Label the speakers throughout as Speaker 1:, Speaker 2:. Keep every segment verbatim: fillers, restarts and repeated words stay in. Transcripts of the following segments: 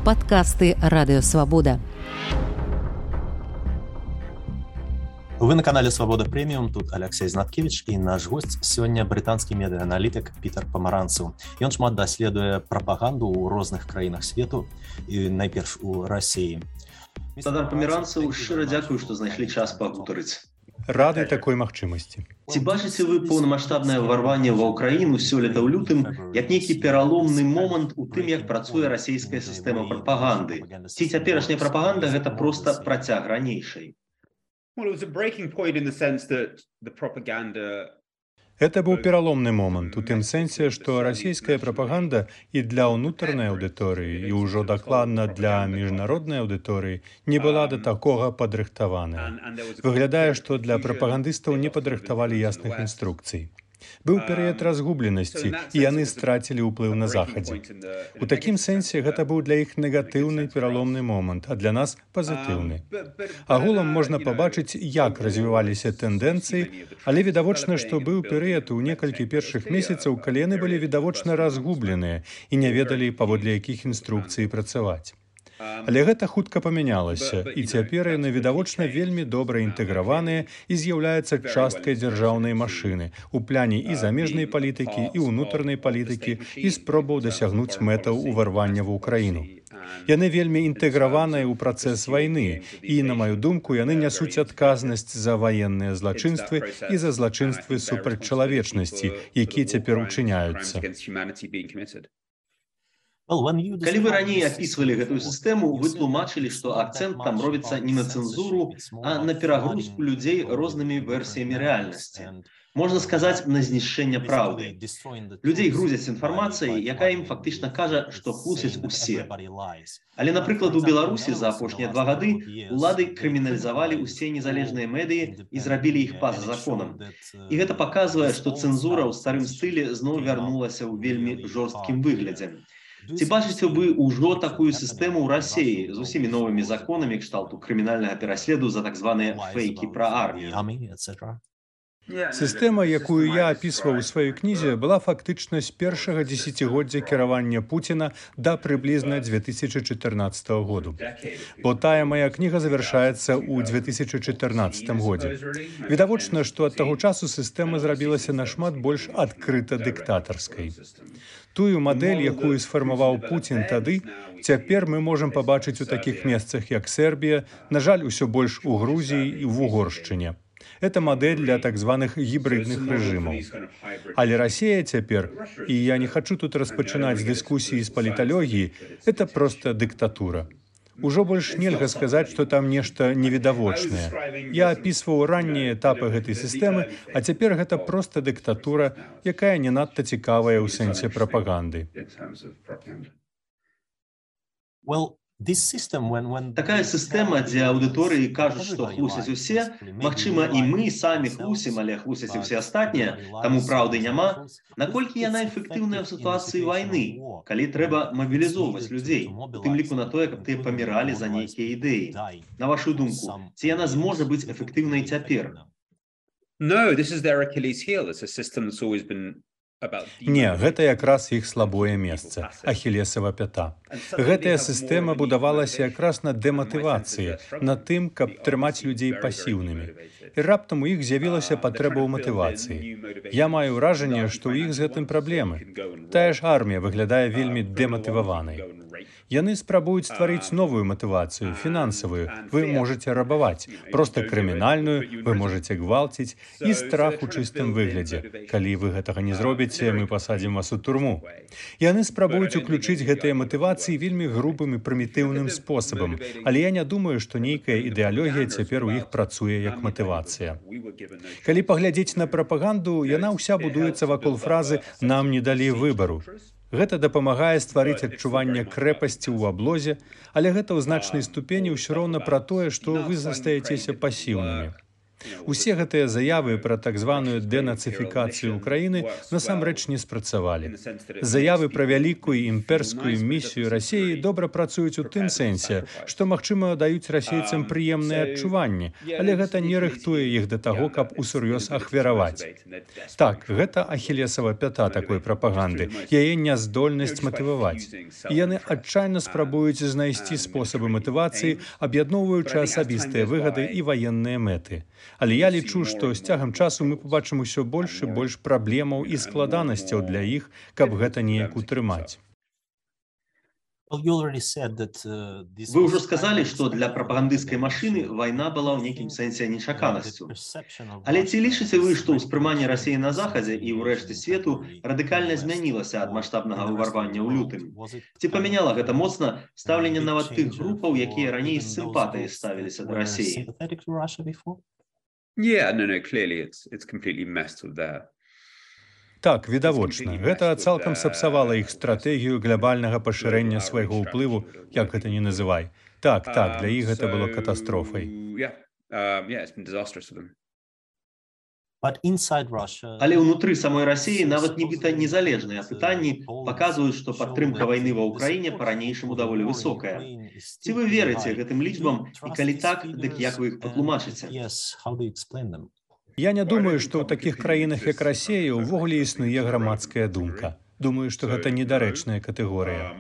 Speaker 1: Падкасты Радыёвабода.
Speaker 2: Вы на канале «Свобода Премиум», тут Алексей Знаткевич, і наш гость сёння брытанскі медыааналітык Пітер Памаранцаў. Ён шмат даследуе прапаганду ў розных краінах свету, і найперш у Расіі.
Speaker 3: Пітер Памаранцаў, шчыра дзякую, што знайшлі час пагутарыць.
Speaker 4: Рады такой магчымасці.
Speaker 3: Ці бачыце вы поўнамаштабнае ўварванне ва ўкраіну сёлета ў лютым як нейкі пераломны момант у тым, як працуе расійская сістэма прапаганды? Ці цяперашняя прапаганда гэта проста працяг ранейшай?
Speaker 4: Это быў пераломны момант у тым сэнсе, што расійская прапаганда і для ўнутранай аўдыторыі, і ўжо дакладна для міжнароднай аўдыторыі не была да такога падрыхтаваная. Выглядае, што для прапагандыстаў не падрыхтавалі ясных інструкцый. Быў перыяд разгубленасці, і яны страцілі ўплыў на захадзе. У такім сэнсе гэта быў для іх негатыўны пераломны момант, а для нас пазітыўны. Агулам можна пабачыць, як развіваліся тэндэнцыі, але відавочна, што быў перыяд у некалькі першых месяцаў, калі яны былі відавочна разгубленыя і не ведалі, паводле якіх інструкцый працаваць. Але гэта хутка памянялася, і цяпер яны відавочна вельмі добра інтэграваныя і з'яўляюцца часткай дзяржаўнай машыны у пляне і замежнай палітыкі, і ўнутранай палітыкі, і спробаў дасягнуць мэтаў уварвання ва ўкраіну. Яны вельмі інтэграваныя ў працэс вайны, і, на маю думку, яны нясуць адказнасць за ваенныя злачынствы і за злачынствы супраць чалавечнасці, якія цяпер учыняюцца.
Speaker 3: Калі вы раней апісвалі гэтую сістэму, вы тлумачылі, што акцэнт там робіцца не на цэнзуру, а на перагрузку людзей рознымі версіямі рэальнасці. Можна сказаць, на знішчэнне праўды. Людзей грузяць інфармацыяй, якая ім фактычна кажа, што хлусяць усе. Але, напрыклад, у Беларусі за апошнія два гады улады крыміналізавалі ўсе незалежныя медыі і зрабілі іх па-за законам. І гэта паказвае, што цэнзура ў старым стылі зноў вярнулася ў вельмі жорсткім выглядзе. Ці бачыце вы ўжо такую сістэму ў Расіі з усімі новымі законамі кшталту крымінальнага пераследу за так званыя фейкі пра армію?
Speaker 4: Сістэма, якую я апісваў у сваёй кнізе, была фактычна з першага дзесяцігоддзя кіравання Пуціна да прыблізна дзве тысячы чатырнаццатага году. Бо тая мая кніга завяршаецца ў дзве тысячы чатырнаццатым годзе. Відавочна, што ад таго часу сістэма зрабілася нашмат больш адкрыта дыктатарскай. Тую мадэль, якую сфармаваў Пуцін тады, цяпер мы можам пабачыць у такіх месцах, як Сербія, на жаль, усё больш у Грузіі і в Угоршчыне. Это мадэль для так званых гібрыдных рэжымаў. Але Расія цяпер, і я не хачу тут распачынаць дыскусіі з паліталогіі, это проста дыктатура. Ужо больш нельга сказаць, што там нешта невідавочнае. Я апісваў раннія этапы гэтай сістэмы, а цяпер гэта проста дыктатура, якая не надта цікавая ў сэнсе прапаганды.
Speaker 3: Такая сістэма, дзе аўдыторыі кажуць, што хлусяць усе, магчыма, і мы самі хлусім, але хлусяць і ўсе астатнія, таму праўды няма. Наколькі яна эфектыўная ў сітуацыі вайны, калі трэба мабілізоўваць людзей, у тым ліку на тое, каб тыя паміралі за нейкія ідэі? На вашу думку, ці яна зможа быць эфектыўнай цяпер?
Speaker 4: Не, гэта якраз іх слабое месца, ахілесава пята. Гэтая сістэма будавалася якраз на дэматывацыі, на тым, каб трымаць людзей пасіўнымі. І раптам у іх з'явілася патрэба ў матывацыі. Я маю ўражанне, што ў іх з гэтым праблемы. Тая ж армія выглядае вельмі дэматываванай. Яны спрабуюць стварыць новую матывацыю, фінансавую. Вы можаце рабаваць, проста крымінальную, вы можаце гвалціць, і страх у чыстым выглядзе. Калі вы гэтага не зробіце, мы пасадзім вас у турму. Яны спрабуюць уключыць гэтыя матывацыі вельмі грубым і прымітыўным спосабам, але я не думаю, што нейкая ідэалогія цяпер у іх працуе як матывацыя. Калі паглядзець на прапаганду, яна ўся будуецца вакол фразы «нам не далі выбару». Гэта дапамагае стварыць адчуванне крэпасці ў аблозе, але гэта ў значнай ступені ўсё роўна пра тое, што вы застаецеся пасіўнымі. Усе гэтыя заявы пра так званую дэнацыфікацыю ўкраіны насамрэч не спрацавалі. Заявы пра вялікую імперскую місію Расіі добра працуюць у тым сэнсе, што, магчыма, даюць расейцам прыемныя адчуванні, але гэта не рыхтуе іх да таго, каб усур'ёз ахвяраваць. Так, гэта ахілесава пята такой прапаганды, яе няздольнасць матываваць. І яны адчайна спрабуюць знайсці спосабы матывацыі, аб'ядноўваючы асабістыя выгады і ваенныя мэты. Але я лічу, што з цягам часу мы побачым усё больш і больш праблемаў і складанасцяў для іх, каб гэта неяк утрымаць.
Speaker 3: Вы ўжо сказалі, што для прапагандысцкай машыны вайна была ў нейкім сэнсе нечаканасцю. Але ці лічыце вы, што ўспрыманне Расіі на Захадзе і ў рэшце свету радыкальна змянілася ад маштабнага ўварвання ў лютым? Ці памяняла гэта моцна стаўленне нават тых групаў, якія раней з сімпатыяй ставіліся да Расіі?
Speaker 4: Так, відавочна. Гэта цалкам сапсавала іх стратэгію глобальнага пашырэння свайго ўплыву, як гэта не называй. Так, так, для іх гэта было катастрофай.
Speaker 3: Але ўнутры самой Расіі нават нібыта незалежныя пытанні паказваюць, што падтрымка вайны ва ўкраіне па-ранейшаму даволі высокая. Ці вы верыце гэтым лічбам, і калі так, дык як вы іх патлумачыце?
Speaker 4: Я не думаю, што ў такіх краінах, як Расія, увогуле існуе грамадская думка. Думаю, што гэта недарэчная катэгорыя.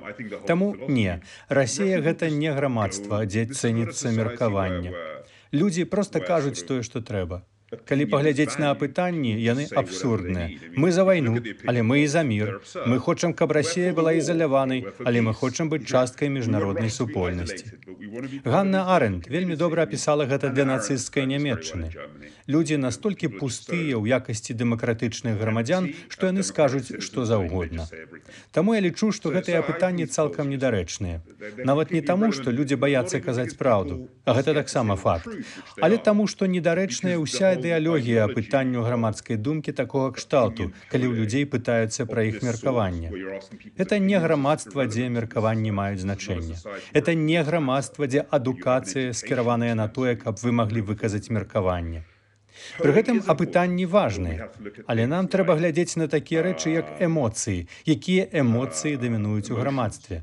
Speaker 4: Таму не, Расія гэта не грамадства, дзе цэніцца меркаванне. Людзі проста кажуць тое, што трэба. Калі паглядзець на апытанні, яны абсурдныя. Мы за вайну, але мы і за мір. Мы хочам, каб Расія была ізаляванай, але мы хочам быць часткай міжнароднай супольнасці. Ганна Арэнд вельмі добра апісала гэта для нацысцкай Нямецчыны. Людзі настолькі пустыя ў якасці дэмакратычных грамадзян, што яны скажуць што заўгодна. Таму я лічу, што гэтыя апытанні цалкам недарэчныя. Нават не таму, што людзі баяцца казаць праўду, а гэта таксама факт, але таму, што недарэчная ўся ідэалогія апытанню грамадскай думкі такога кшталту, калі ў людзей пытаюцца пра іх меркаванне. Это не грамадства, дзе меркаванні маюць значэнне. Это не грамадства, дзе адукацыя скіраваная на тое, каб вы маглі выказаць меркаванне. Пры гэтым апытанні важныя, але нам трэба глядзець на такія рэчы, як эмоцыі, якія эмоцыі дамінуюць у грамадстве.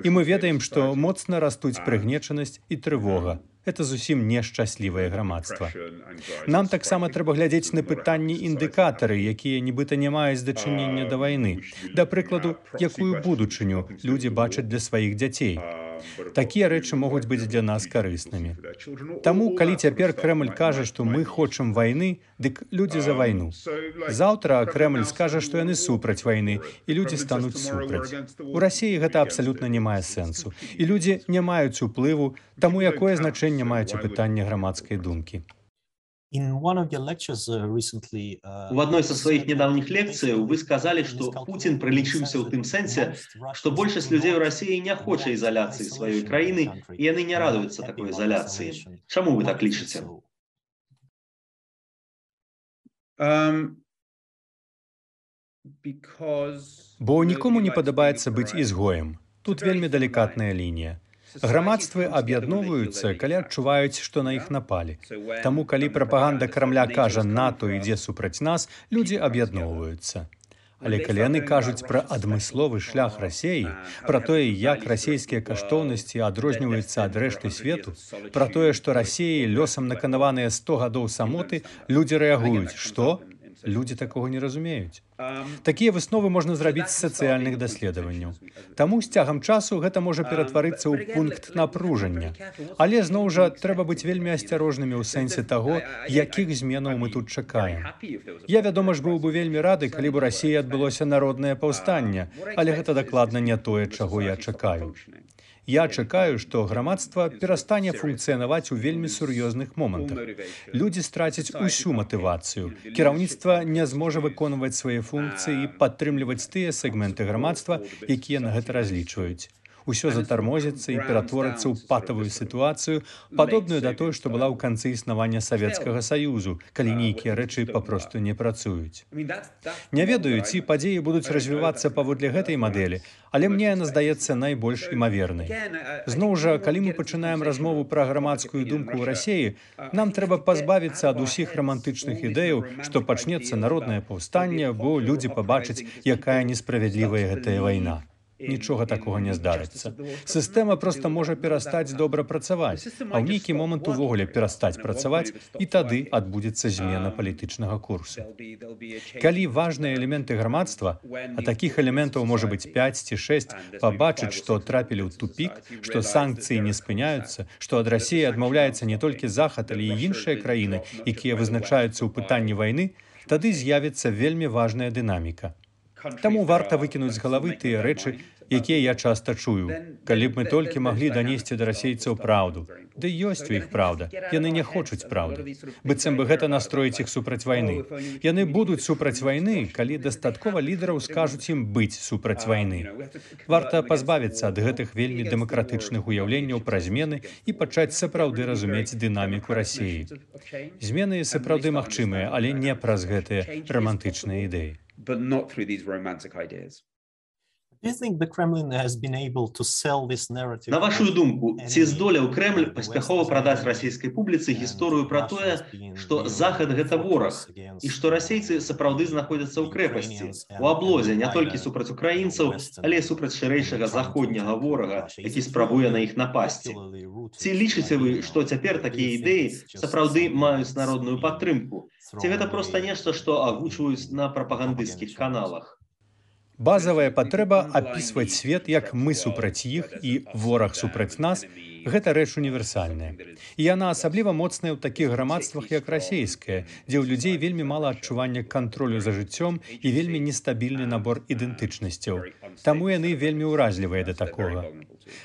Speaker 4: І мы ведаем, што моцна растуць прыгнечанасць і трывога. Это зусім нешчаслівае грамадства. Нам таксама трэба глядзець на пытанні індыкатары, якія нібыта не маюць дачынення да вайны. Да прыкладу, якую будучыню людзі бачаць для сваіх дзяцей. Такія рэчы могуць быць для нас карыснымі. Таму, калі цяпер Крэмль кажа, што мы хочам вайны, дык людзі за вайну. Заўтра Крэмль скажа, што яны супраць вайны, і людзі стануць супраць. У Расіі гэта абсалютна не мае сэнсу. І людзі не маюць уплыву, таму якое значэнне маюць пытанне грамадскай думкі.
Speaker 3: У адной са сваіх нядаўніх лекцыяў вы сказалі, што Пуцін прылічыўся ў тым сэнсе, што большасць людзей у Расіі не хоча ізаляцыі сваёй краіны, і яны не радуюцца такой ізаляцыі. Чаму вы так лічыце?
Speaker 4: Бо нікому не падабаецца быць ізгоем. Тут вельмі далікатная лінія. Грамадствы аб'ядноўваюцца, калі адчуваюць, што на іх напалі. Таму, калі прапаганда Крамля кажа «НАТО ідзе супраць нас», людзі аб'ядноўваюцца. Але калі яны кажуць пра адмысловы шлях Расіі, пра тое, як расійскія каштоўнасці адрозніваюцца ад рэшты свету, пра тое, што Расіі лёсам наканаваныя сто гадоў самоты, людзі рэагуюць. Што? Людзі такога не разумеюць. Такія высновы можна зрабіць з сацыяльных даследаванняў. Таму з цягам часу гэта можа ператварыцца ў пункт напружання. Але, зноў жа, трэба быць вельмі асцярожнымі ў сэнсе таго, якіх зменаў мы тут чакаем. Я, вядома ж, быў бы вельмі рады, калі б у Расіі адбылося народнае паўстанне, але гэта дакладна не тое, чаго я чакаю. Я чакаю, што грамадства перастане функцыянаваць у вельмі сур'ёзных момантах. Людзі страцяць усю матывацыю. Кіраўніцтва не зможа выконваць свае функцыі і падтрымліваць тыя сегменты грамадства, якія на гэта разлічваюць. Усё затармозіцца і ператворыцца ў патавую сітуацыю, падобную да той, што была ў канцы існавання Савецкага Саюзу, калі нейкія рэчы папросту не працуюць. Не ведаю, ці падзеі будуць развівацца паводле гэтай мадэлі, але мне яна здаецца найбольш імавернай. Зноў жа, калі мы пачынаем размову пра грамадскую думку ў Расіі, нам трэба пазбавіцца ад усіх рамантычных ідэяў, што пачнецца народнае паўстанне, бо людзі пабачаць, якая несправядлівая гэтая вайна. Нічога такога не здарыцца. Сістэма проста можа перастаць добра працаваць, а ў нейкі момант увогуле перастаць працаваць, і тады адбудзецца змена палітычнага курсу. Калі важныя элементы грамадства, а такіх элементаў можа быць пяць ці шэсць, пабачыць, што трапілі ў тупік, што санкцыі не спыняюцца, што ад Расіі адмаўляецца не толькі Захад, але і іншыя краіны, якія вызначаюцца ў пытанні вайны, тады з'явіцца вельмі важная дынаміка. Таму варта выкінуць з галавы тыя рэчы, якія я часта чую. Калі б мы толькі маглі данесці да расейцаў праўду. Ды ёсць у іх праўда. Яны не хочуць праўды. Быццам бы гэта настроіць іх супраць вайны. Яны будуць супраць вайны, калі дастаткова лідараў скажуць ім быць супраць вайны. Варта пазбавіцца ад гэтых вельмі дэмакратычных уяўленняў пра змены і пачаць сапраўды разумець дынаміку Расіі. Змены сапраўды магчымыя, але не праз гэтыя рамантычныя ідэі.
Speaker 5: But not through these romantic ideas.
Speaker 3: На вашу думку, ці здолеў Крэмль паспяхова прадаць расійскай публіцы гісторыю пра тое, што Захад гэта вораг, і што расейцы сапраўды знаходзяцца ў крэпасці, у аблозе не толькі супраць украінцаў, але і супраць шырэйшага заходняга ворага, які спрабуе на іх напасці. Ці лічыце вы, што цяпер такія ідэі сапраўды маюць народную падтрымку? Ці гэта проста нешта, што агучваюць на прапагандысцкіх каналах?
Speaker 4: Базавая патрэба апісваць свет, як мы супраць іх і вораг супраць нас, гэта рэч універсальная. І яна асабліва моцная ў такіх грамадствах, як расейскае, дзе ў людзей вельмі мала адчування кантролю за жыццём і вельмі нестабільны набор ідэнтычнасцяў. Таму яны вельмі ўразлівыя да такога.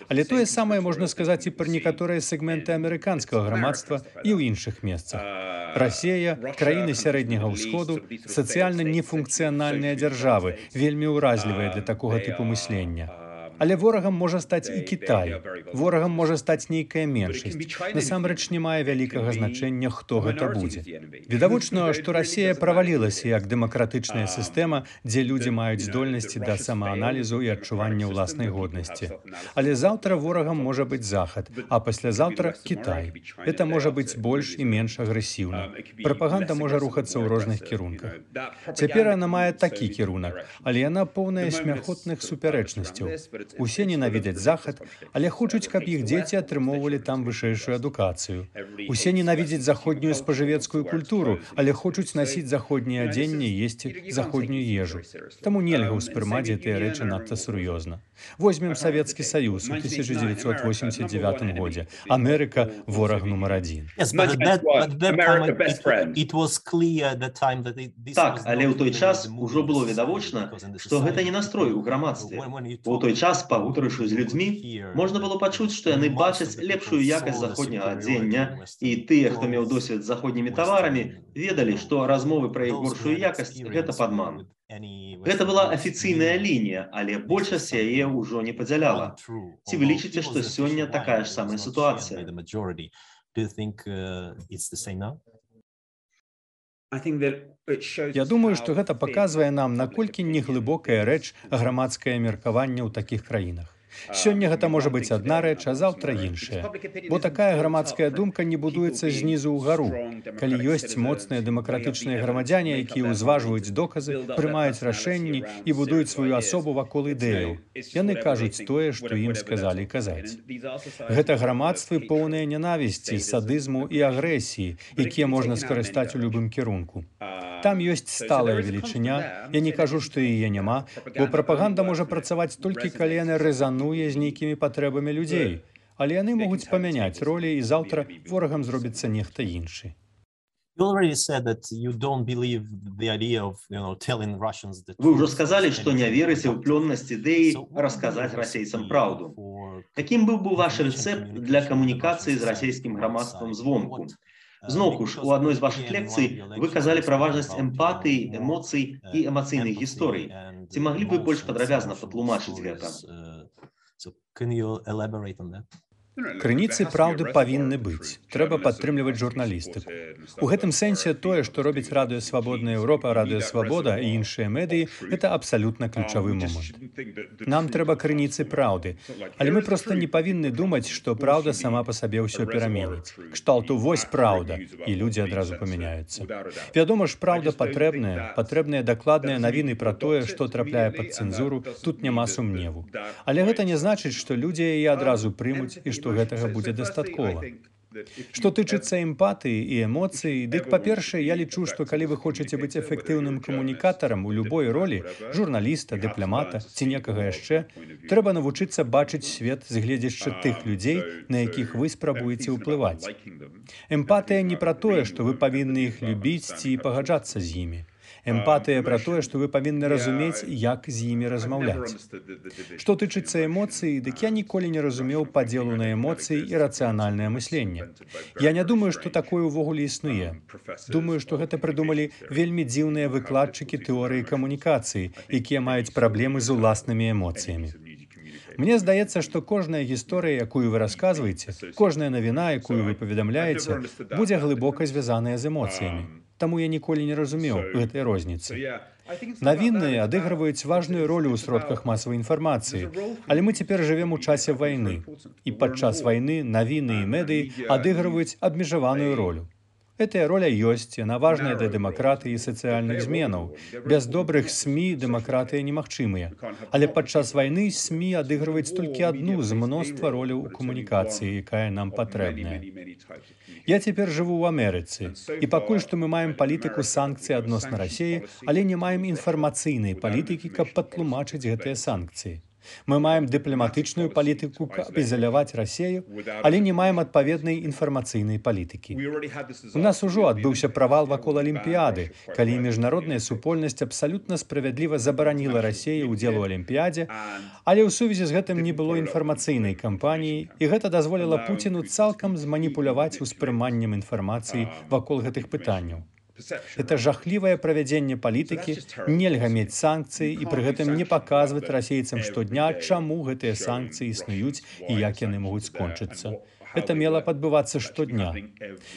Speaker 4: Але тое самае можна сказаць і пра некаторыя сегменты амерыканскага грамадства і ў іншых месцах. Расія, краіны сярэдняга ўсходу, сацыяльна нефункцыянальныя дзяржавы, вельмі ўразлівыя для такога тыпу мыслення. Але ворагам можа стаць і Кітай. Ворагам можа стаць нейкая меншасць. Насамрэч не мае вялікага значэння, хто гэта будзе. Відавочна, што Расія правалілася як дэмакратычная сістэма, дзе людзі маюць здольнасці да самааналізу і адчування ўласнай годнасці. Але заўтра ворагам можа быць Захад, а паслязаўтра Кітай. Гэта можа быць больш і менш агрэсіўна. Прапаганда можа рухацца ў розных кірунках. Цяпер яна мае такі кірунак, але яна поўная смяхотных супярэчнасцяў. Усе ненавідзяць Захад, але хочуць, каб іх дзеці атрымоўвалі там вышэйшую адукацыю. Усе ненавідзяць заходнюю спажывецкую культуру, але хочуць насіць заходняе адзенне і есці заходнюю ежу. Таму нельга ўспрымаць гэтыя рэчы надта сур'ёзна. Возьмем Савецкі Саюз у тысяча дзевяцьсот восемьдесят девятым годзе. Амерыка – вораг нумар адзін.
Speaker 3: Так, але ў той час ужо было відавочна, што гэта не настрой у грамадстве. У той час, пагутарыўшы з людзьмі, можна было пачуць, што яны бачаць лепшую якасць заходняга адзення, і тыя, хто меў досвед з заходнімі таварамі, ведалі, што размовы пра іх горшую якасць – гэта падман. Гэта была афіцыйная лінія, але большасць яе ўжо не падзяляла. Ці вы лічыце, што сёння такая ж самая сітуацыя?
Speaker 4: Я думаю, што гэта паказвае нам, наколькі неглыбокая рэч грамадскае меркаванне ў такіх краінах. Сёння гэта можа быць адна рэч, а заўтра іншая. Бо такая грамадская думка не будуецца знізу ўгару. Калі ёсць моцныя дэмакратычныя грамадзяне, якія ўзважваюць доказы, прымаюць рашэнні і будуюць сваю асобу вакол ідэяў. Яны кажуць тое, што ім сказалі казаць. Гэта грамадствы поўныя ненавісці, садызму і агрэсіі, якія можна скарыстаць у любым кірунку. Там ёсць сталая велічыня, я не кажу, што яе няма, бо прапаганда можа працаваць толькі калі яна рэзануе з нейкімі патрэбамі людзей, але яны могуць памяняць ролі, і заўтра ворагам зробіцца нехта іншы.
Speaker 3: Вы ўжо сказалі, што не верыце ў плённасць ідэі расказаць расейцам праўду. Якім быў бы ваш рэцэпт для камунікацыі з расейскім грамадствам звонку? Зноўку ж, у адной з вашых лекцый вы казалі пра важнасць эмпатыі, эмоцый і эмацыйных гісторый. Ці маглі б вы больш падрабязна патлумачыць гэта?
Speaker 2: So can you elaborate on that?
Speaker 4: Крыніцы праўды павінны быць. Трэба падтрымліваць журналістыку. У гэтым сэнсе тое, што робіць Радыё Свабодная Еўропа, Радыё Свабода і іншыя медыі, гэта абсалютна ключавы момант. Нам трэба крыніцы праўды, але мы проста не павінны думаць, што праўда сама па сабе ўсё пераменіць. Кшталту вось праўда, і людзі адразу памяняюцца. Вядома ж, праўда патрэбная, патрэбныя дакладныя навіны пра тое, што трапляе пад цэнзуру, тут няма сумневу. Але гэта не значыць, што людзі яе адразу прымуць і што што гэтага будзе дастаткова. Што тычыцца эмпатыі і эмоцый, дык, па-першае, я лічу, што калі вы хочаце быць эфектыўным камунікатарам у любой ролі, журналіста, дыпламата ці некага яшчэ, трэба навучыцца бачыць свет з гледзяшча тых людзей, на якіх вы спрабуеце ўплываць. Эмпатыя не пра тое, што вы павінны іх любіць ці пагаджацца з імі. Эмпатыя пра тое, што вы павінны разумець, як з імі размаўляць. Што тычыцца эмоцый, дык я ніколі не разумеў падзелу на эмоцыі і рацыянальнае мысленне. Я не думаю, што такое ўвогуле існуе. Думаю, што гэта прыдумалі вельмі дзіўныя выкладчыкі тэорыі камунікацыі, якія маюць праблемы з уласнымі эмоцыямі. Мне здаецца, што кожная гісторыя, якую вы расказваеце, кожная навіна, якую вы паведамляеце, будзе глыбока звязаная з эмоцыямі. Таму я ніколі не разумеў гэтай розніцы. Навіны адыгрываюць важную ролю ў сродках масавай інфармацыі, але мы цяпер жывем у часе вайны, і падчас вайны навіны і медыі адыгрываюць абмежаваную ролю. Гэтая роля ёсць, яна важная для дэмакратыі і сацыяльных зменаў. Без добрых СМІ дэмакратыя немагчымыя. Але падчас вайны СМІ адыгрываюць толькі адну з мноства роляў у камунікацыі, якая нам патрэбная. Я цяпер жыву ў Амерыцы, і пакуль што мы маем палітыку санкцый адносна Расіі, але не маем інфармацыйнай палітыкі, каб патлумачыць гэтыя санкцыі. Мы маем дыпламатычную палітыку, каб ізаляваць Расію, але не маем адпаведнай інфармацыйнай палітыкі. У нас ужо адбыўся правал вакол Алімпіяды, калі міжнародная супольнасць абсалютна справядліва забараніла Расіі ўдзел у Алімпіядзе, але ў сувязі з гэтым не было інфармацыйнай кампаніі, і гэта дазволіла Пуціну цалкам зманіпуляваць успрыманнем інфармацыі вакол гэтых пытанняў. Это жахлівае правядзенне палітыкі, нельга мець санкцыі і пры гэтым не паказваць расейцам штодня, чаму гэтыя санкцыі існуюць і як яны могуць скончыцца. Это мела адбывацца штодня.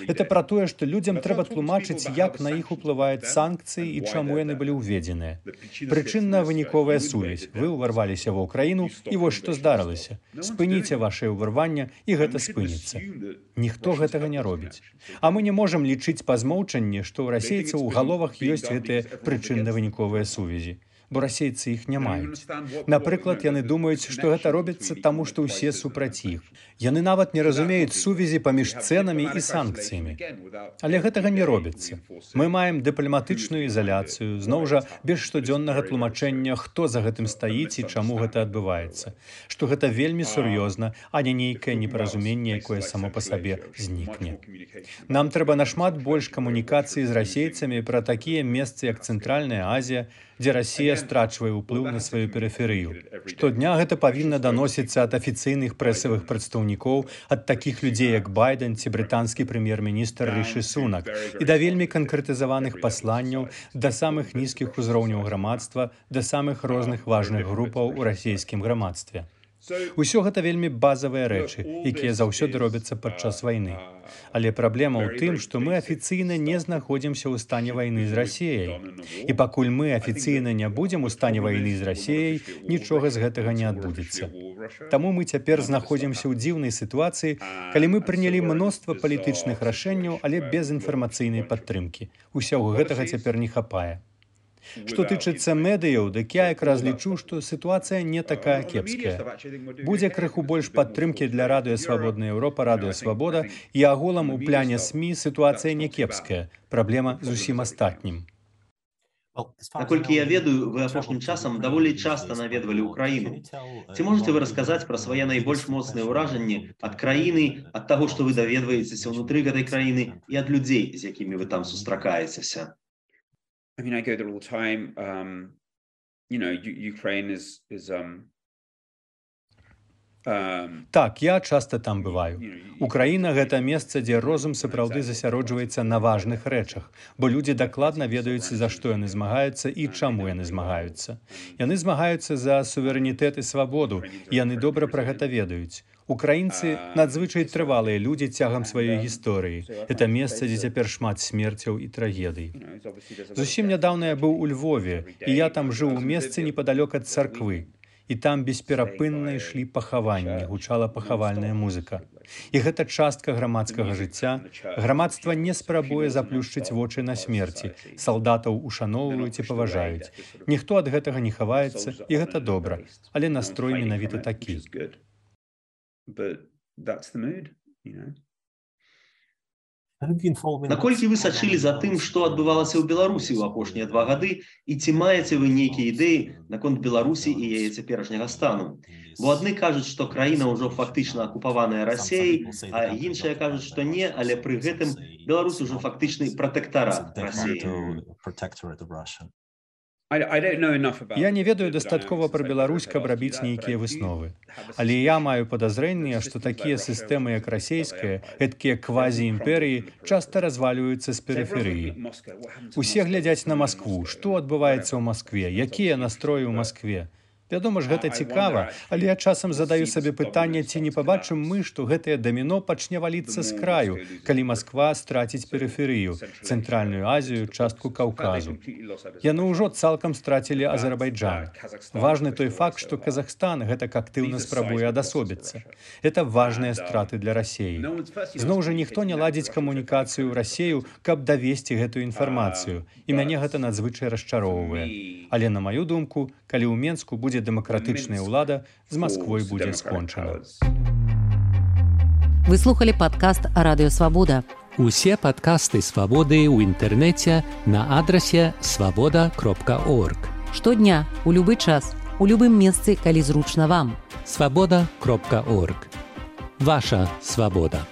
Speaker 4: Это пра тое, што людзям трэба тлумачыць, як на іх уплываюць санкцыі і чаму яны былі ўведзеныя. Прычынна-выніковая сувязь. Вы ўварваліся ва ўкраіну, і вось што здарылася. Спыніце вашае ўварванне, і гэта спыніцца. Ніхто гэтага не робіць. А мы не можам лічыць па змоўчанні, што ў расейцаў у галовах ёсць гэтыя прычынна-выніковыя сувязі. Бо расейцы іх не маюць. Напрыклад, яны думаюць, што гэта робіцца таму, што ўсе супраць іх. Яны нават не разумеюць сувязі паміж цэнамі і санкцыямі. Але гэтага не робіцца. Мы маем дыпламатычную ізаляцыю, зноў жа без штодзённага тлумачэння, хто за гэтым стаіць і чаму гэта адбываецца. Што гэта вельмі сур'ёзна, а не нейкае непаразуменне, якое само па сабе знікне. Нам трэба нашмат больш камунікацыі з расейцамі пра такія месцы, як Цэнтральная Азія, дзе Расія страчвае ўплыў на сваю перыферыю. Штодня гэта павінна даносіцца ад афіцыйных прэсавых прадстаўнікоў, ад такіх людзей, як Байден ці брытанскі прэм'ер-міністр Ріші Сунак, і да вельмі канкрэтызаваных пасланняў да самых нізкіх узроўняў грамадства, да самых розных важных групаў у расійскім грамадстве. Усё гэта вельмі базавыя рэчы, якія заўсёды робяцца падчас вайны. Але праблема ў тым, што мы афіцыйна не знаходзімся ў стане вайны з Расіяй. І пакуль мы афіцыйна не будзем у стане вайны з Расіяй, нічога з гэтага не адбудзецца. Таму мы цяпер знаходзімся ў дзіўнай сітуацыі, калі мы прынялі мноства палітычных рашэнняў, але без інфармацыйнай падтрымкі. Усяго гэтага цяпер не хапае. Што тычыцца медыяў, дык я якраз лічу, што сітуацыя не такая кепская. Будзе крыху больш падтрымкі для Радыё Свабодная Еўропа, Радыё Свабода, і агулам у пляне СМІ сітуацыя не кепская. Праблема зусім астатнім.
Speaker 3: Наколькі я ведаю, вы апошнім часам даволі часта наведвалі ўкраіну. Ці можаце вы расказаць пра свае найбольш моцныя ўражанні ад краіны, ад таго, што вы даведваецеся ўнутры гэтай краіны і ад людзей, з якімі вы там сустракаецеся?
Speaker 5: I mean, I go there all the time. Um, you know, U- Ukraine is is um.
Speaker 4: Так, я часта там бываю. Украіна — гэта месца, дзе розум сапраўды засяроджваецца на важных рэчах, бо людзі дакладна ведаюць, за што яны змагаюцца і чаму яны змагаюцца. Яны змагаюцца за суверэнітэт і свабоду, і яны добра пра гэта ведаюць. Украінцы надзвычай трывалыя людзі цягам сваёй гісторыі. Гэта месца, дзе цяпер шмат смерцяў і трагедый. Зусім нядаўна я быў у Львове, і я там жыў у месцы непадалёк ад царквы. І там бесперапынна ішлі пахаванні, гучала пахавальная музыка. І гэта частка грамадскага жыцця. Грамадства не спрабуе заплюшчыць вочы на смерці. Салдатаў ушаноўваюць і паважаюць. Ніхто ад гэтага не хаваецца, і гэта добра. Але настрой менавіта такі.
Speaker 3: Наколькі вы сачылі за тым, што адбывалася ў Беларусі ў апошнія два гады, і ці маеце вы нейкія ідэі наконт Беларусі і яе цяперашняга стану? Бо адны кажуць, што краіна ўжо фактычна акупаваная Расіяй, а іншыя кажуць, што не, але пры гэтым Беларусь ужо фактычны пратэктарат Расіі.
Speaker 4: Я не ведаю дастаткова пра Беларусь, каб рабіць нейкія высновы. Але я маю падазрэнне, што такія сістэмы, як расійская, гэткія квазі-імперыі, часта развалююцца з перыферыі. Усе глядзяць на Маскву. Што адбываецца ў Маскве? Якія настроі ў Маскве? Вядома ж, гэта цікава, але я часам задаю сабе пытанне, ці не пабачым мы, што гэтае даміно пачне валіцца з краю, калі Масква страціць перыферыю, Цэнтральную Азію, частку Каўказу. Яны ўжо цалкам страцілі Азербайджан. Важны той факт, што Казахстан гэтак актыўна спрабуе адасобіцца. Гэта важныя страты для Расіі. Зноў жа, ніхто не ладзіць камунікацыю ў Расію, каб давесці гэтую інфармацыю, і мяне гэта надзвычай расчароўвае. Але, на маю думку, калі ў Менску будзе дэмакратычная ўлада, з Масквой будзе скончана.
Speaker 1: Вы слухали падкаст Радыё Свабода.
Speaker 6: Усе падкасты Свабоды ў інтэрнэце на адрасе свабода кропка орг.
Speaker 1: Штодня, у любы час, у любым месцы, калі зручна вам.
Speaker 6: свабода кропка орг. Ваша свабода.